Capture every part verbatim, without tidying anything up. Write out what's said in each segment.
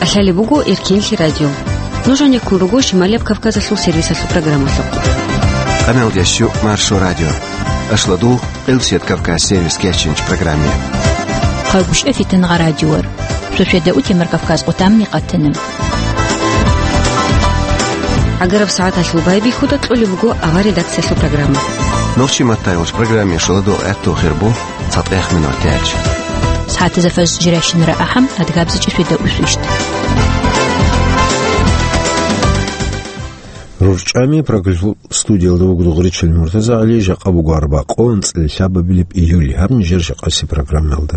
КӀалъалеб буго Эркенлъи радио. Нуж гьанеккун руго Шималияб Кавказалъул сервисалъул программалъухъ. Къаналдящу Маршо радио. Ашладул Къилсият Кавказ сервис кечинч программе. Хъагушев Фитангъа радиор. Шошеда утемар Кавказ къутамни къатана. ГӀагараб сагӀаталъул байбихьуда кьолеб буго авар редакциялъул программа. Нурчи Маттаевич программе шоладул гӀатту хирбу. ЦатӀех минутач. СагӀатазда фажр жирайщинара ахӀам, адгабзичӀеб шведа усвищ. РурчӀами программалъул студиялда вуго Дугъричил МуртазагӀали, жакъа буго арбакъо, анцӀила лъабабилеб июль, гьаб нижер жакъаси программалда.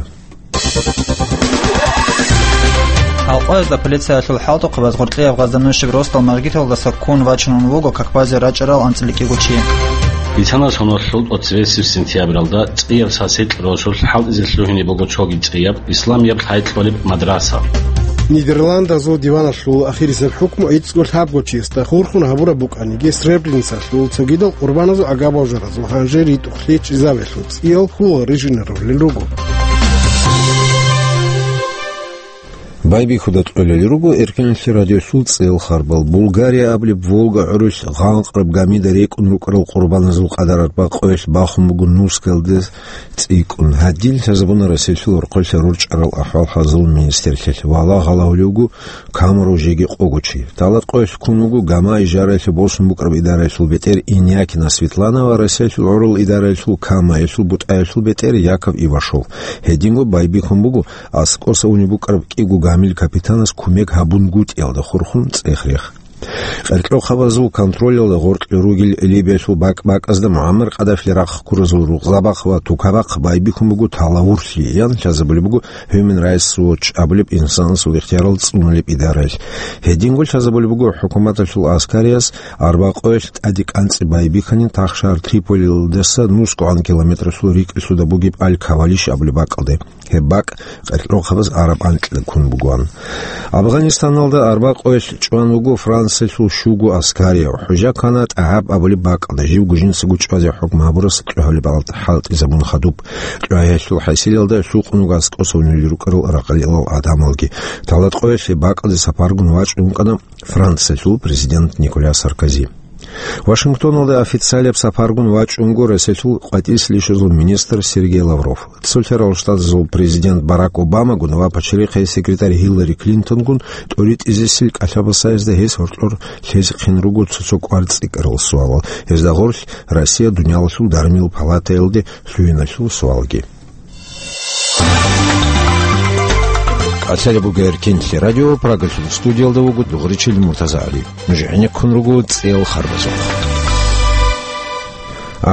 Гьалкъоязда полициялъул хӀалтӀухъабаз гъоркьияб Гъазданущеб росдал мажгиталдаса ккун вачун вуго какбазе рачӀарал анцӀила кӀиго чи. Бицана соналъул тӀоцебесеб сентябралда цӀияб сасикь росулъ хӀалтӀизе лъугьине буго цоги цӀияб исламияб лъай кьолеб мадраса. Нидерландазул диваналъул ахирисеб хӀукму гӀицӀго лъабго чиясда хурхун гьабураб букӀаниги, Сребреницалъул цогидал къурбаназул гӀагаб-божаразул гьанже ритӀухълъи чӀезабелъул цӀиял хьул рижинарулел руго. Байбихьуда кьолел руго Эркенлъи радиолъул цӀел харбал. Булгария абулеб Волга гӀурулъ гъанкъраб гамида рекӀун рукӀарал къурбаназул къадар арбакъоялъ бахун буго нускалде цӀикӀкӀун. Гьадин лъазабуна Россиялъул орхъолъа рорчӀарал ахӀвал-хӀалзул министрлъилъ. Валагь гьалавулев вуго Камаров жеги къого чи. Талат къоялъ ккун вуго Гама ижараялъе босун букӀараб идараялъул бетӀер Инякина Светлана ва Россиялъул гӀурал идараялъул Камаялъул бутӀаялъул бетӀер Яков Ивашов. Гьединго байбихьун буго аскӀоса унеб букӀараб кӀиго гамил капитанас кумек гьабунгутӀиялда хурхун цӀех-рех. Къеркьохъабазул контролалда гъоркье ругел Либиялъул бакӀ-бакӀазда МугӀаммар Къаддафили рахъ ккуразул Рукъзабахъ ва Тукабахъ байбихьун буго талавурлъи, ян лъазабулеб буго Human Rights Watch абулеб инсанасул ихтиярал цӀунулеб идараялъ. Гьединго лъазабулеб буго хӀукуматалъул аскарияс арбакъоялъ тӀаде кӀанцӀи байбихьанин тахшагьар Триполилдаса нусгогӀан километралъул рикӀкӀалъуда бугеб Аль-Кавалиш абулеб бакӀалде. Гьеб бакӀ къеркьохъабаз араб анкьила ккун бугоан. Афганистаналда арбакъоялъ чӀван вуго Франциялъул щуго аскарияв. ХӀужа ккана ТӀагьаб абулеб бакӀалда, живго жинцаго чӀвазе хӀукму гьабурас кьогьалеб хӀалтӀизабун хадуб. КьогӀиялъул хӀасилалда лъукъун вуго аскӀоса унел рукӀарал рахъалилал гӀадамалги. Талат къоялъ гьеб бакӀалде сапаргун вачӀун вукӀана Франциялъул президент Николя Саркози. Вашингтоналда официалияб сапаргун вачӀунго Россиялъул къватӀирсилищазул министр Сергей Лавров. Цолъарал Штатазул президент Барак Обамагун ва пачалихъе секретарь Гьиллари Клинтонгун тӀоритӀизесил кӀалъабасаязда гьес гьоркьор лъезехъин руго цо-цо кӀвар-цӀикӀкӀарал суалал. Гьезда гъорлъ Россия дуниялалъул дармил палатаялде лъугьиналъул суалги. КӀалъалеб буго Эркенлъи радио, Прагалъул студиялда вуго Дугъричил МуртазагӀали. Нуж гӀенеккун руго цӀел харбазухъ.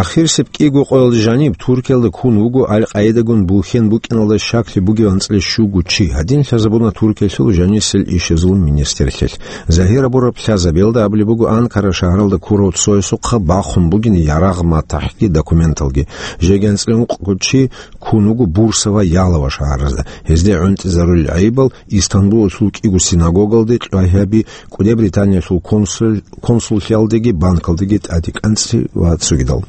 Ахирисеб кӀиго къоялда жаниб Туркиялда ккун вуго Аль-Къаидагун булъен букӀиналда щаклъи бугеб анцӀила щуго чи. Гьадин лъазабуна Туркиялъул жанисел ишазул министрлъилъ. Загьир абураб лъазабиялда абулеб буго Анкара шагьаралда ккурав цоясухъа бахъун бугин ярагъ-матахӀги документалги. Жеги анцӀила ункъго чи ккун вуго Бурса ва Ялова шагьаразда. Гьезде гӀунтӀизарулел гӀайибал Истанбулалъул кӀиго синагогалде кьвагьаби, КӀуди Британиялъул консул-, консуллъиялдеги банкалдеги тӀаде кӀанцӀи ва цогидал.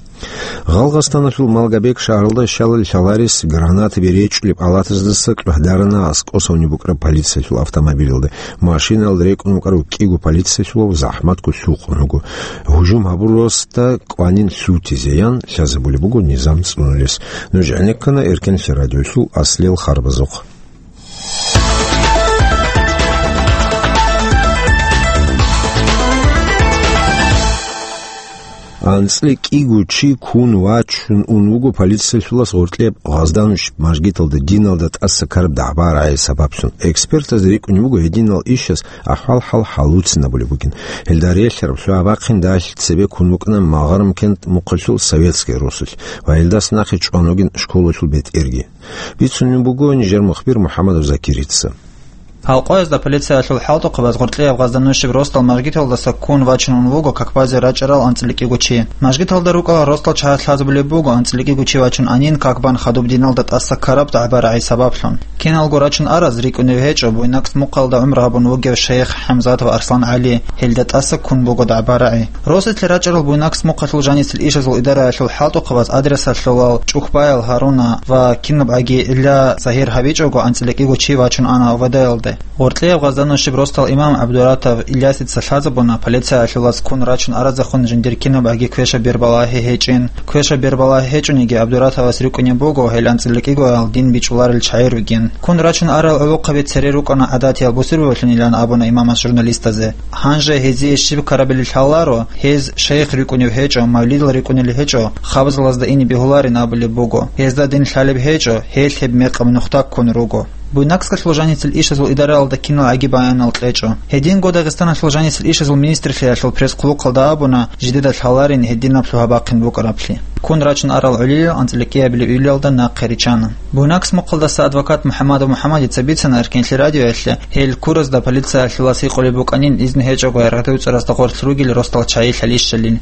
Гъалгъастаналъул Малгобек шагьаралда щалал лъаларес гранатаби речӀчӀулеб палатаздаса кьвагьдарана аскӀоса унеб букӀараб полициялъул автомобилалда. Машинаялда рекӀун вукӀарав кӀиго полициялъулав захӀматго лъукъун вуго. Гьужум гьабурасда кӀванин лъутизе ян лъазабулеб буго низам цӀунулес. Нуж гӀенеккана Эркенлъи радиолъул аслел харбазухъ. АнцӀила кӀиго чи ккун вачун ун вуго полициялъулас гъоркьеб Гъазданущ мажгиталда диналда тӀаса ккараб дагӀба-рагӀи сабаблъун. Экспертаз рикӀкӀунеб буго гьединал ишас ахӀвал-хӀал хӀалуцинабулеб бугин. Гьелда релълъараб лъугӀа-бахъин далъ цебе ккун букӀана Магъармкент мухъалъул Советская росулъ ва гьелдаса нахъе чӀван вугин школалъул бетӀерги. Бицунеб буго нижер мухбир МухӀамадов Закирица. Гьалкъоязда полициялъул хӀалтӀухъабаз гъоркьияб Гъазданущеб росдал мажгиталдаса ккун вачун ун вуго какбазе рачӀарал анцӀила кӀиго чи. Мажгиталда рукӀарал росдал чагӀаз лъазабулеб буго анцӀила кӀиго чи вачун анин, какбан хадуб диналда тӀаса ккараб дагӀба-рагӀи сабаблъун. Киналго рачун араз рикӀкӀунев гьечӀо Буйнакск мухъалда гӀумру гьабун вугев шейх ХӀамзат ва Арслан ГӀали, гьелда тӀаса ккун буго дагӀба-рагӀи. Росулъе рачӀарал Буйнакск мухъалъул жанисел ишазул идараялъул хӀалтӀухъабаз адресалъулал ЧӀухбаял Гьаруна ва кинабгӀаги гӀилла загьир гьабичӀого анцӀила кӀиго чи вачун ана ОВД-ялде. Гъоркьияб гъазда нушиб росдал имам ГӀабдуратов Ильясица лъазабуна, полициялъулаз ккун рачун аразехун жиндир кинаб аги квешаб бербалагьи гьечӀин. Квешаб бербалагьи гьечӀониги, ГӀабдуратовас рикӀкӀунеб буго гьел анцӀила кӀигоял дин бичӀчӀуларел чагӀи ругин. Ккун рачун арал гӀолохъаби цере рукӀана гӀадатиял бусурбабаблъун, илан абуна имамас журналистазе. Гьанже гьезие щиб ккарабилеб лъаларо, гьез шайх рикӀкӀунев гьечӀо, мавлидал рикӀкӀунел гьечӀо, хабзалазда ине бегьуларин абулеб буго. Гьезда дин лъалеб гьечӀо, гьелъ гьеб мекъаб нухда ккун руго. Буйнакскалъул жанисел ишазул идараялда кинал гӀаги баянал кьечӀо. Гьединго Дагъистаналъул жанисел ишазул министрлъиялъул пресс-хъулухъалда абуна, жидеда лъаларин гьединаб лъугьа-бахъин букӀараблъи. Ккун рачун арал гӀолилал анцӀила кӀиабилеб июлалда нахъе риччана. Буйнакск мухъалдаса адвокат МухӀаммадов МухӀаммадица бицана Эркенлъи радиоялъе, гьел ккуразда полициялъулаз гьикъулеб букӀанин изну гьечӀого гьаргӀадуй цӀаразда гъорлъ ругел росдал чагӀи лъалищали.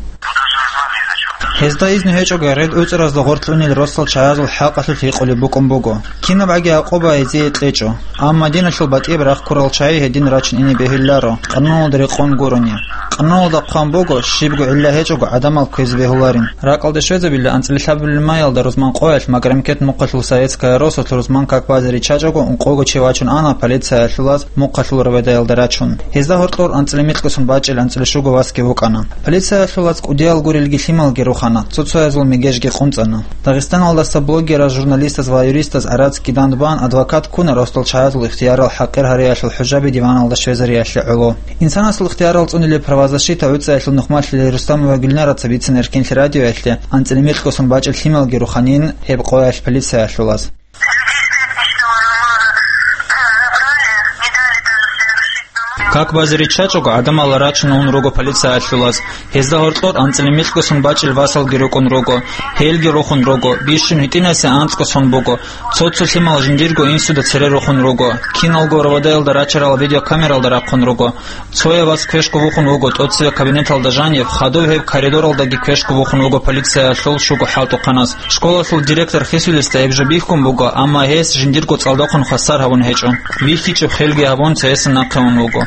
Гьезда изну гьечӀого гьаргӀадуй цӀаразда гъорлъ унел росдал чагӀазул хӀакъалъулъ гьикъулеб букӀун буго. Кинаб гӀаги гӀакъуба гьезие кьечӀо. Амма диналъул батӀияб рахъ ккурал чагӀи гьедин рачун ине бегьуларо, къануналда рекъон гурони. Къануналда хъван буго, щибго гӀилла гьечӀого гӀадамал кквезе бегьуларин. Ракъалде щвезабила анцӀила лъабабилеб маялда рузман къоялъ Маграмкент мухъалъул Советская росулъ рузман как базе риччачӀого ункъого чи вачун ана полициялъулаз мухъалъул РОВД-ялда рачун. Гьезда гьоркьор анцӀила микьго сон бачӀел анцӀила щуго васги вукӀана. Полициялъулаз кӀудиял гурелги лъималги рухана, цо-цоязул мегежги къунцӀана. Дагъистаналдаса блогераз, журналистаз ва юристаз гӀарацги дандбан адвокат ккуна росдал чагӀазул ихтиярал хӀакъир гьариялъул хӀужаби диваналда щвезариялъе гӀоло. Инсанасул ихтиярал цӀунилеб правозащита гӀуцӀаялъул нухмалъулел Рустамова Гюльнараца бицина Эркенлъи радиоялъе, анцӀила микьго сон бачӀел лъималги руханин гьеб къоялъ полициялъулаз. Как базе риччачӀого гӀадамал рачун ун руго полициялъулаз. Гьезда гьоркьор анцӀила микьго сон бачӀел васалги рукӀун руго. Гьелги рухун руго. Бищун гьитӀинасе анцӀго сон буго. Цо-цо лъимал жиндирго инсуда цере рухун руго. Киналго РОВД-ялда рачарал видеокамералда рахъун руго. Цояв вас квешго вухун вуго, тӀоцеве кабинеталда жанив, хадув гьеб коридоралдаги квешго вухун вуго полициялъул щуго хӀалтӀухъанас. Школалъул директор хисулесда гьеб жо бихьун буго, амма гьес жиндирго цӀалдохъун хвасар гьабун гьечӀо. ВихьичӀеб хелги гьабун, цоясда нахъе ун вуго.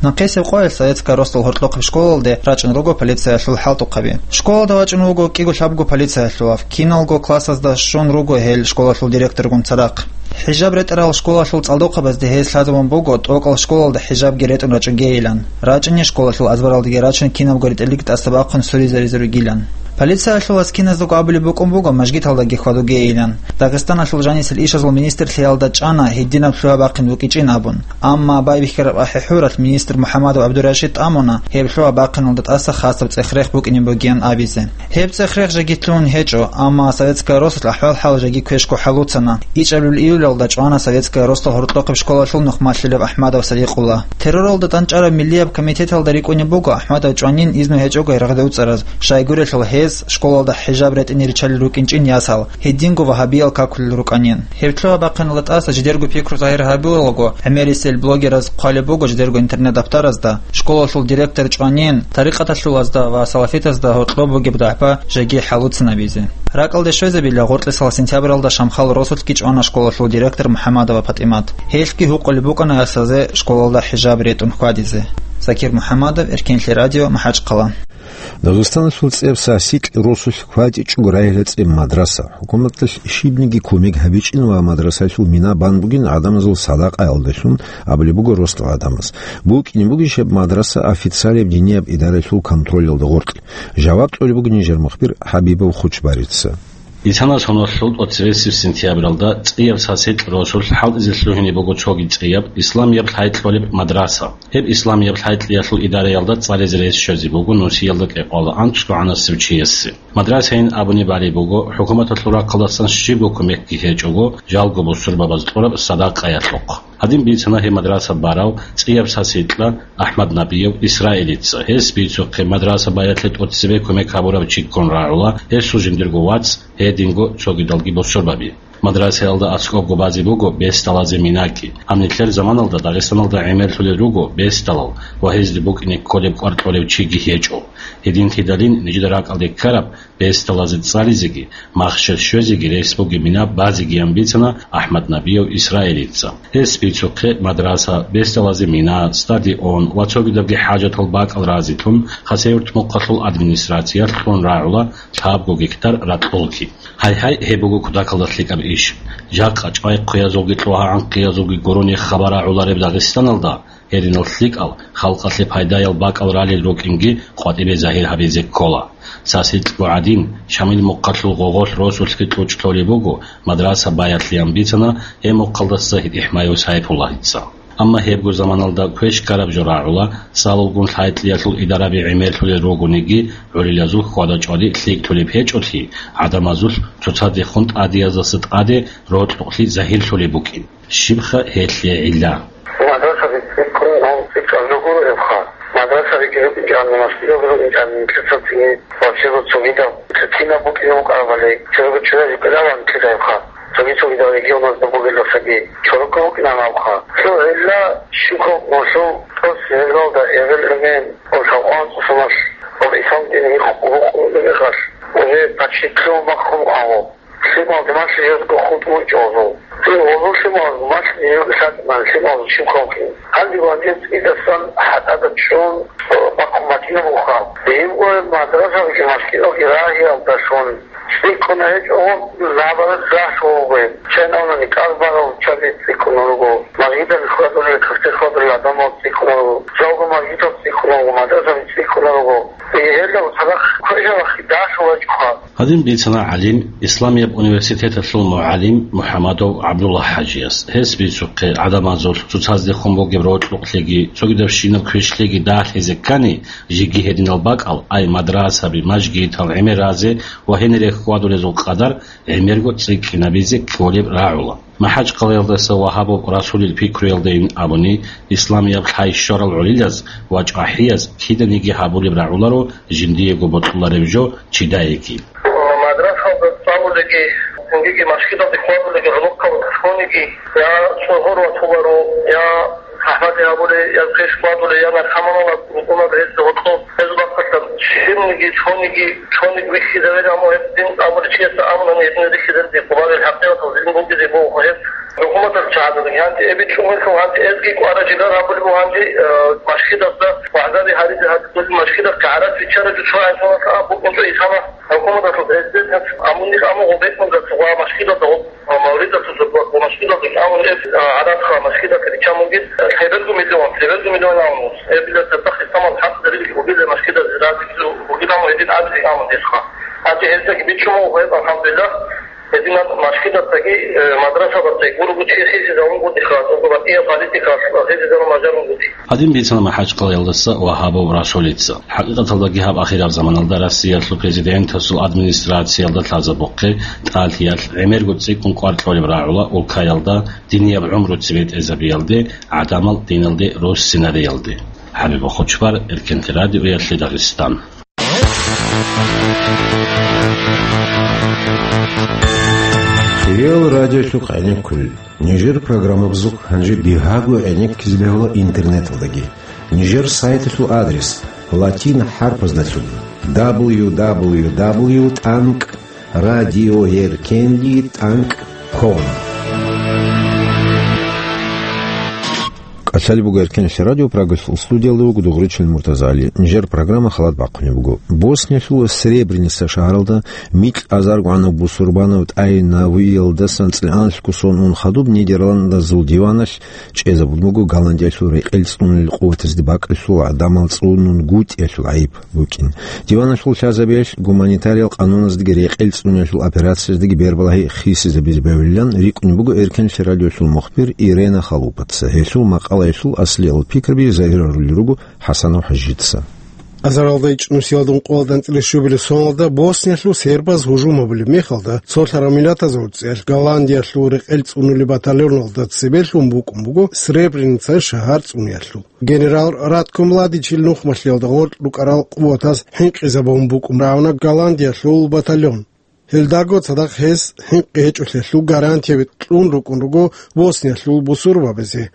Нахъисеб къоялъ Советская росдал гьоркьохъеб школалде рачӀун руго полициялъул хӀалтӀухъаби. Школалда вачӀун вуго кӀиго-лъабго полициялъулав, киналго классазда щун руго гьел школалъул директоргун цадахъ. ХӀижаб ретӀарал школалъул цӀалдохъабазде гьез лъазабун буго, тӀокӀал школалда хӀижабги ретӀун рачӀугейилан. РачӀине школалъул азбаралдеги рачун кинабго ретӀелги тӀасабахъун суризе-, ризаригилан. Полициялъулаз киназдаго абулеб букӀун буго, мажгиталдаги хьвадугейилан. Дагъистаналъул жанисел ишазул министрлъиялда чӀана гьединаб лъугьа-бахъин букӀинчӀин абун. Амма байбихьараб ахӀи-хӀуралъ министр МухӀаммадов ГӀабдурашид тӀамуна гьеб лъугьа-бахъиналда тӀаса хасаб цӀех-рех букӀине бугеян абизе. Гьеб цӀех-рех жеги лъугьун гьечӀо, амма Советская росулъ ахӀвал-хӀал жеги квешго хӀалуцана. ИчӀабилеб июлалда чӀвана Советская росдал гьоркьохъеб школалъул нухмалъулев АхӀмадов Садикъулла. Терроралда тӀанчӀараб миллияб комитеталда рикӀкӀунеб буго АхӀмадов чӀванин изну гьечӀого гьаргӀадуй цӀараз, щайгурелъул гьез школалда хӀижаб ретӀине риччалел рукӀинчӀин ясал, гьединго вагьабиял какулел рукӀанин. Гьеб лъугьа-бахъиналда тӀаса жидерго пикру загьир гьабилаго, гӀемерисел блогераз хъвалеб буго жидерго интернет-даптаразда, школалъул директор чӀванин, тарикъаталъулазда ва салафитазда гьоркьоб бугеб дагӀба жеги хӀалуцинабизе. Ракъалде щвезабила, гъоркьисал сентябралда Шамхал росулъги чӀвана школалъул директор МухӀаммадова ПатӀимат. Гьелъги гьукъулеб букӀана ясазе школалда хӀижаб ретӀун хьвадизе. Закир МухӀаммадов, Эркенлъи радио, МахӀачхъала. Дагъистаналъул цӀеб сасикь росулъ кватӀичӀого райила цӀеб мадраса. ХӀукуматалъ щибниги кумек гьабичӀин ва мадрасалъул мина бан бугин гӀадамазул садакъаялдалъун абулеб буго росдал гӀадамаз. БукӀине бугищ гьеб мадраса официалияб динияб идаралъул контролалда гъоркь? Жаваб кьолеб буго нижер мухбир ХӀабибов Хучбарица. Исана соналъул тӀоцебесеб сентябралда цӀияб сасикь росулъ хӀалтӀизе лъугьине буго цоги цӀияб исламияб лъай кьолеб мадраса. Гьеб исламияб лъай кьиялъул идараялда цӀализе рес щвезе буго нусиялда кӀикъоялда анцӀго гӀанасев чиясе. Мадрасайин абуни балеб буго, хӀукуматалъул рахъалдасан щибго кумекги гьечӀого, жалго бусурбабаз кьураб садакъаялъухъ. Гьадин бицана гьеб мадраса барав цӀияб сасикьа АхӀмад Набиев Исраилица. Гьес бицухъе, мадраса баялъе тӀоцебе кумек гьабурав чи ккун рагӀула, гьесул жиндирго вац, гьединго цогидалги бусурбаби. Мадрасаялда аскӀобго базе буго бесдалазе минаки. Гьаб нилъер заманалда Дагъистаналда гӀемерлъулел руго бесдалал ва гьезде букӀине кколеб кӀвар кьолев чиги гьечӀо. Гьединлъидалин нижеда ракӀалде ккараб бесдалазе цӀализеги, махщел щвезеги рес бугеб мина базегиян бицана АхӀмад Набиев Исраилица. Гьес бицухъе мадраса, бесдалазе мина, стадион ва цогидабги хӀажатал бакӀал разилъун Хасавюрт мухъалъул администрациялъ кьун рагӀула лъабго гектар ракьулги. Гьайгьай, гьеб буго кутакалда лъикӀаб Иш жакъа чӀвай хъуязулги кьугьа гӀанкъиязулги гурони хабар рагӀулареб Дагъистаналда гьединал лъикӀал, халкъалъе пайдаял бакӀал ралел рукӀинги къватӀибе загьир гьабизе ккола. Цас гьикьго гӀадин, Шамил мухъалъул гъогъолъ росулъги кьучӀ лъолеб буго, мадраса баялъеян бицана гьеб мухъалдаса ГьитӀихӀмаев Сайпуллагьица. Амма гьебго заманалда квеш ккараб жо рагӀула, цалулгун лъай-кьиялъул идараби гӀемерлъулел ругониги, гӀурилазул хьвада-чӀвади лъикӀлъулеб гьечӀолъи, гӀадамазулъ цоцадехун тӀадеяздаса тӀаде рокьукълъи загьирлъулеб букӀин. Щибха гьелъие гӀилла? Мадрасаби цӀикӀкӀун гьанцӀи чӀвазул гуро гьебха. Мадрасаби киро инчӀани, масгидалги инчӀани, нилъеца цинги ва чего цогидаб, кинаб букӀине букӀарабали, чего чуразе кӀелаван кидаевха. Цоги-цогидал регионазда бугеласаги чорокко букӀинан абха. Цо гӀилла щибха гъолъул тӀоцебе гьелалда эбел-эмен, гъолъул анцӀусамалъ, гъол исламдин гьикъ-, гьукъулеб мехалъ, уже почти лъугьун бахъун агьу. Лъимал дималъи жезго хутӀун чӀолъул. Цо гъолъул лъимал малъни лъатӀман лъимал щибха вукӀин. Гьанже ванжез цӀидасан хӀатӀада чӀун бахъун батинабуха. Гьеб мадрасалги масгидалги рагьиялдалъун цӀикӀкӀуна гьечӀо, набараз рахъ вугъин. Чанавнани кӀал барав чаби цӀикӀкӀуна руго. Масгидалъ хьвадулел, кафте хьвадулел гӀадамал цӀикӀкӀуна руго. Жалго масгидал цӀикӀкӀуна руго, мадрасаби цӀикӀкӀуна руго. Гьелда цадахъ квешалахъе дагьлъулачӀоха. Гьадин бицана гӀалим, Исламияб университеталъул мугӀалим МухӀамадов ГӀабдулла-хӀажияс. Гьес бицухъе, гӀадамазулъ цоцаздехун бугеб рокьукълъиги, цогидабщинаб квешлъиги дагьлъизе ккани, жеги гьединал бакӀал, ай мадрасаби, мажгитал гӀемер разе ва гьенире хьвадулезул къадар гӀемерго цӀикӀкӀинабизе кколеб рагӀула. МахӀачкъалаялдаса Вагьабов Расулил пикруялдайин абуни, исламияб лъай щварал гӀолилаз ва чӀвахӀияз киданиги гьабулеб рагӀуларо жиндиего бокьулареб жо чидаеги. Мадрасалда цӀалулеги, цинги машгидалде хьвадулеги, гӀолохъаб цониги, я цӀогьор ватуларо, я АхӀмад абулей, я квеш хьвадулей, я наркоманал рукӀунал гьезда гьоркьоб, гьезул бахъалъа щибниги, цониги, цониги вихьизавери, амма гьеб дин абулев чиясда абунани гьеб рихьизабизе къварил хӀакъикъаталда дин бугезе буго гьеб. ХӀукуматалъ чагӀазабиги гьанже эбичӀун вехъав, гьанже эзги кӀвара жигар гьабулеб буго гьанже, э, машгидазда вагӀзаби гьаризе гьатӀулел машгидаз гӀарац биччараб жо цо гӀайсалалъа аб букӀинчӀо исана. ХӀукуматалъул президентас амунихъ амугъу бекӀундаса ва машгидазда гъо-, ва мавлидалъул ва машгидалъул амун эб, а, гӀарац ха машгидалъе биччан бугин, лъеберго миллион, лъеберго миллион амун. Эбила цадахъ исламал хӀакъ дарилги убила машгидазе разилъу бугин амун гьедин абизе амун десха. Гьанже гьездаги биччун буго гьеб, алхӀамдулиллагь. Гьединаб машгидасдаги, э, мадрасабаздаги гурого чи хисизарун гутӀиха, тӀокӀаб батӀияб политикалъ хисизарун бажарун гутӀи. Гьадин бицана МахӀачкъалаялдаса Вагьабов Расулица. ХӀакъикъаталдаги гьаб ахираб заманалда Россиялъул президентасул администрациялда лъазабухъе, ТӀалъиялъ гӀемерго цӀикӀкӀун кӀвар кьолеб рагӀула улкаялда динияб гӀумру цебетӀезабиялде, гӀадамал диналде руссинариялде. ХӀабиб Хучбар, Эркенлъи радиоялъе Дагъистан. Хириял радиолъухъ гӀенеккулел. Нижер программабазухъ гьанже бигьаго гӀенеккизе бегьула интернеталдаги. Нижер сайталъул адрес латин хӀарпаздалъун: дабл ю дабл ю дабл ю тӀанкӀ радиоеркенли тӀанкӀ ком. КӀалъалеб буго Эркенлъи радио, Прагалъул студиялда вуго Дугъричил Муртазали. Нижер программа халат бахъунеб буго. Босниялъул Сребреница шагьаралда микь азарго гӀанав бусурбанав тӀай навиялдасан цӀикӀкӀуналъго сон ун хадуб Нидерландазул диваналъ чӀезабун буго Голландиялъул рекъел цӀунулел къуватазде бакӀалъул гӀадамал цӀунунгутӀиялъул гӀайиб букӀин. Диваналъул лъазабиялъ гуманитариял къануназдаги рекъел цӀуниялъул операцияздаги бербалагьи хисизабизе бегьулилан рикӀкӀунеб буго Эркенлъи радиолъул мухбир Ирена Халупаца. Гьелъул макъалаялъул аслиял пикраби загьирарулел руго ХӀасанов ХӀажица. Азаралда ичӀнусиялда ункъоялда анцӀила щубилеб соналда Босниялъул сербаз гьужум гьабулеб мехалда, цолъарав миллатазул цӀиялъ Голландиялъул рекъел цӀунулеб батальоналда цебелъун букӀун буго Сребреница шагьар цӀуниялъул. Генерал Ратко Младичил нухмалъиялда гъоркь рукӀарал къуватаз хӀинкъизабун букӀун рагӀуна Голландиялъул батальон. Гьелдаго цадахъ гьес хӀинкъи гьечӀолъиялъул гарантияби кьун рукӀун руго Босниялъул бусурбабазе.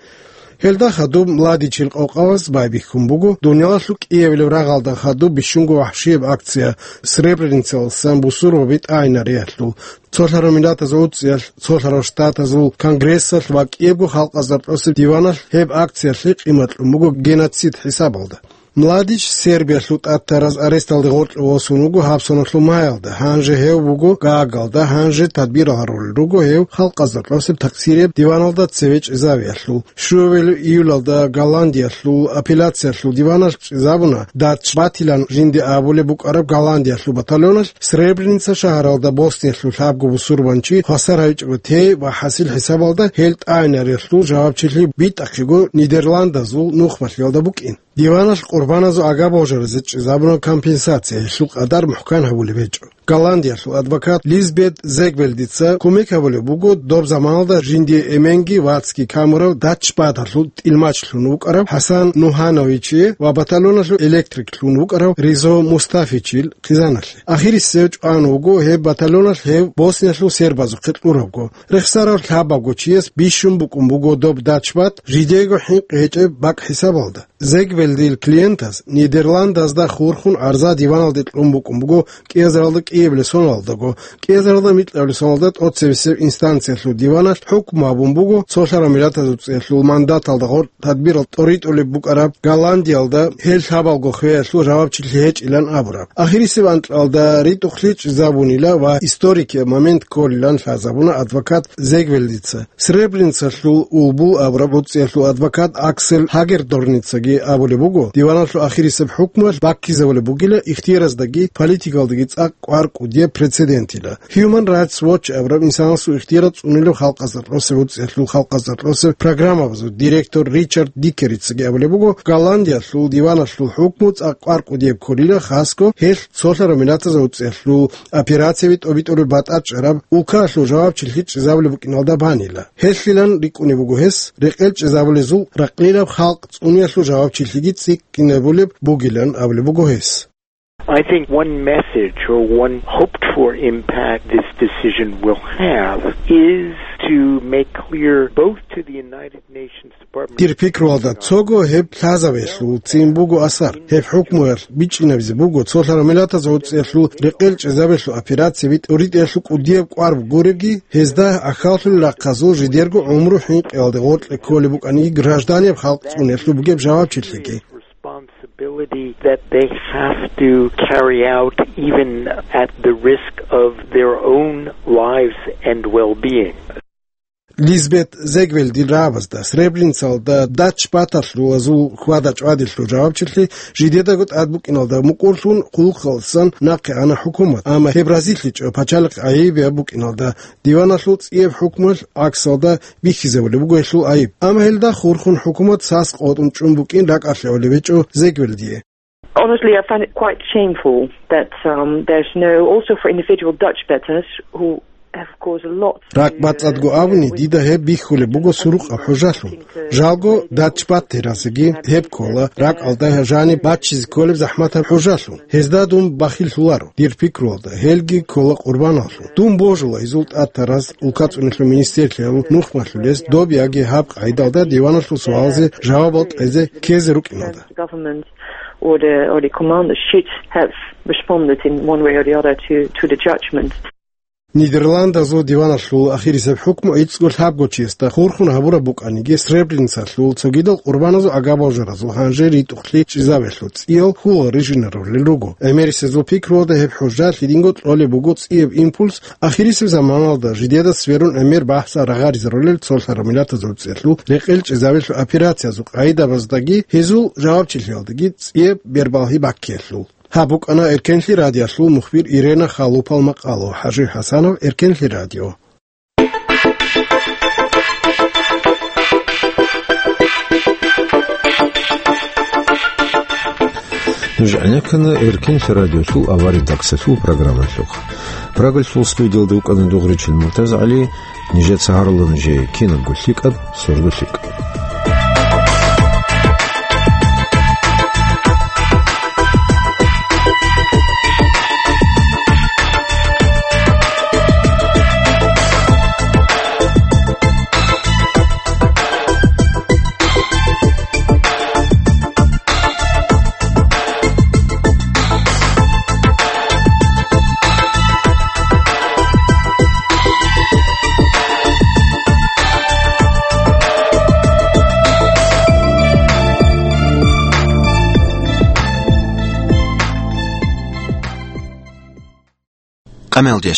Гьелда хадуб Младичил къокъабаз байбихьун буго дуниялалъул кӀиабилеб рагъалда хадуб бищунго вахӀшияб акция Сребреницаласан бусурбаби тӀагӀинариялъул. Цолъарав Миллатазул ГӀуцӀиялъ, Цолъарав Штатазул Конгрессалъ ва кӀиябго халкъазда рокьосеб диваналъ гьеб акциялъе къимат кьун буго геноцид хӀисабалда. Младич Сербиялъул тӀадтараз аресталде гъоркье восун вуго гьаб соналъул маялда, гьанже гьев вуго Гаагалда, гьанже тадбирал гьарулел руго гьев халкъазда кьосеб такъсирияб диваналда цеве чӀезавиялъул. Щуабилеб июлалда Голландиялъул апелляциялъул диваналъ чӀезабуна, Дачбатилан жинде абулеб букӀараб Голландиялъул батальоналъ Сребреница шагьаралда Босниялъул лъабго бусурбанчи хвасар гьавичӀого тей ва хӀасил хӀисабалда гьел тӀагӀинариялъул жавабчилъи битӀахъего Нидерландазул нухмалъиялда букӀин. Диваналъ къурбаназул агаб-божаразе чӀезабуна компенсация, гьелъул къадар мухӀкан гьабулеб гьечӀо. Голландиялъул адвокат Лизбет Зегвелдица кумек гьабулеб буго доб заманалда жиндие эменги вацги камурав Дачбаталъул тӀилмач лъун вукӀарав ХӀасан Нугьановичие ва батальоналъул электрик лъун вукӀарав Ризо Мустафичил хъизаналъе. Ахирисев чӀван вуго гьеб батальоналъ гьев Босниялъул сербазухъе кьурабго. Рехсарав лъабабго чияс бищун букӀун буго доб Дачбат жидеего хӀинкъи гьечӀеб бакӀ хӀисабалда. Зегвелдил клиентаз Нидерландазда хурхун гӀарза диваналде кьун букӀун буго кӀиазаралда кӀиабилеб соналдаго. КӀиазаралда микьабилеб соналда тӀоцебесеб инстанциялъул диваналъ хӀукму гьабун буго цолъарав миллатазул цӀиялъул мандаталда гъоркь тадбирал тӀоритӀулеб букӀараб Голландиялда гьел лъабалго хвеялъул жавабчилъи гьечӀилан абураб. Ахирисеб анкьалда ритӀухълъи чӀезабунила ва историкияб момент кколилан лъазабуна адвокат Зегвелдица. Сребреницалъул Улбул абураб гӀуцӀиялъул адвокат Аксель Хагердорницаги абулеб буго, диваналъул ахирисеб хӀукмуялъ баккизабулеб бугила ихтияраздаги политикалдаги цӀакъ кӀвар кӀудияб прецедентила. Human Rights Watch абураб инсанасул ихтиярал цӀунилев халкъазда кьосеб гӀуцӀиялъул халкъазда кьосеб программабазул директор Ричард Дикерицаги абулеб буго, Голландиялъул диваналъул хӀукму цӀакъ кӀвар кӀудияб кколила, хасго гьелъ цолъарав миллатазул гӀуцӀиялъул операцияби тӀобитӀулеб батӀа чӀараб улкаялъул жавабчилъи чӀезабулеб букӀиналда банила. Гьелъилан рикӀкӀунеб буго гьес, рекъел чӀезабулезул ракълилаб халкъ цӀуниялъул жавабчилъиги цӀикӀкӀинабулеб бугилан абулеб буго гьес. I think one message or one hoped for impact this decision will have is to make clear both to the United Nations Department of Dир пикруялда цого гьеб лъазабиялъул цин буго асар. Гьеб хӀукмуялъ бичӀчӀинабизе буго цолъарав миллатазул гӀуцӀиялъул рекъел чӀезабиялъул операцияби тӀоритӀиялъул кӀудияб кӀвар гуреги, гьезда ахьаллъулел рахъазул жидерго гӀумру хӀинкъиялде гъоркье кколеб букӀаниги, гражданияб халкъ цӀуниялъул бугеб жавабчилъиги. Responsibility that they have to carry out even at the risk of their own lives and well-being. Лизбет Зегвелдил рагӀабазда Сребреницалда Дачбаталъул хьвада-чӀвадилъул жавабчилъи жидедаго тӀад букӀиналда мукӀурлъун хъулухъалдасан нахъе ана хӀукумат, амма гьеб разилъичӀо пачалихъ гӀайибияб букӀиналда. Диваналъул цӀияб хӀукмуялъ гӀаксалда бихьизабулеб буго гьелъул гӀайиб. Амма гьелда хурхун хӀукумат сас къотӀун чӀун букӀин ракӀалъе гьавулеб гьечӀо Зегвелдие. Honestly, I find it quite shameful that, um, there's no, also for individual Dutch betters who have caused a lot to, uh, Ракь бацӀцӀадго абуни, дида гьеб бихьулеб буго сурукъаб хӀужалъун. Жалго, Дачбаттеразеги гьеб ккола, ракӀалда жаниб баччизе кколеб захӀматаб хӀужалъун. Гьезда дун бахиллъуларо, дир пикруялда, гьелги ккола къурбаналъун. Дун божула гьезул тӀатараз, улкацӀуналъул министрлъиялъул нухмалъулез доб яги гьаб къайдалда диваналъул суалзе жавабал кьезе ккезе рукӀиналда. Government or the, or the commanders should have responded in one way or the other to, to the judgment. Нидерландазул диваналъул ахирисеб хӀукму гӀицӀго лъабго чиясда хурхун гьабураб букӀаниги, Сребреницалъул цогидал къурбаназул агаб-божаразул гьанже ритӀухълъи чӀезабиялъул цӀиял хьул рижинарулел руго. ГӀемерисезул пикруялда гьеб хӀужа лъидинго кьолеб буго цӀияб импульс ахирисеб заманалда жидеда сверун гӀемер бахӀса рагъаризарулел цолъараб миллатазул цӀиялъул рекъел чӀезабиялъул операциязул къайдабаздаги гьезул жавабчилъиялдаги цӀияб бербалъи баккиялъул. Гьаб букӀана Эркенлъи радиолъул мухбир Ирена Халупал макъало. ХӀажи ХӀасанов, Эркенлъи радио. Нуж гӀенеккана Эркенлъи радиолъул авария тӀахьазул программалъухъ. Прагалъул студиялда вукӀана Дугъричил МуртазагӀали. Нижеца гьарулел нужее кинабго лъикӀаб сордо лъикӀ. Амалде